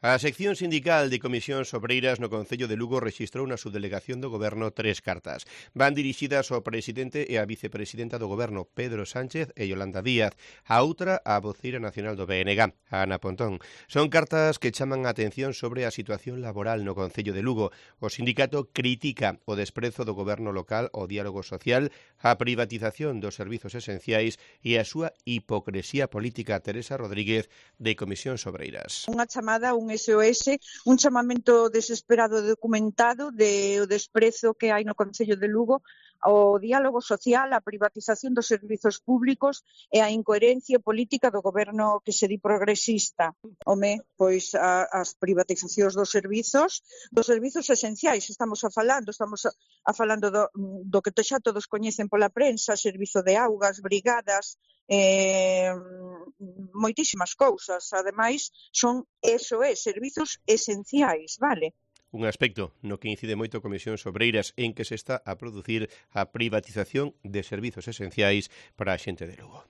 A sección sindical de Comisións Obreiras no Concello de Lugo rexistrou na subdelegación do Goberno 3 cartas. Van dirixidas ao presidente e á vicepresidenta do Goberno, Pedro Sánchez e Yolanda Díaz. A outra, á voceira nacional do BNG, Ana Pontón. Son cartas que chaman a atención sobre a situación laboral no Concello de Lugo. O sindicato critica o desprezo do Goberno local ao diálogo social, a privatización dos servizos esenciais e a súa hipocresía política. Teresa Rodríguez, de Comisións Obreiras. Unha chamada, un SOS, un chamamento desesperado e documentado de o desprezo que hai no Concello de Lugo ao diálogo social, a privatización dos servizos públicos e a incoherencia política do goberno que se di progresista. Pois as privatizacións dos servizos esenciais, estamos a falando do que xa todos coñecen pola prensa, servizo de augas, brigadas, moitísimas cousas. Ademais, son servizos esenciais, vale? Un aspecto no que incide moito Comisións Obreiras en que se está a producir a privatización de servizos esenciais para a xente de Lugo.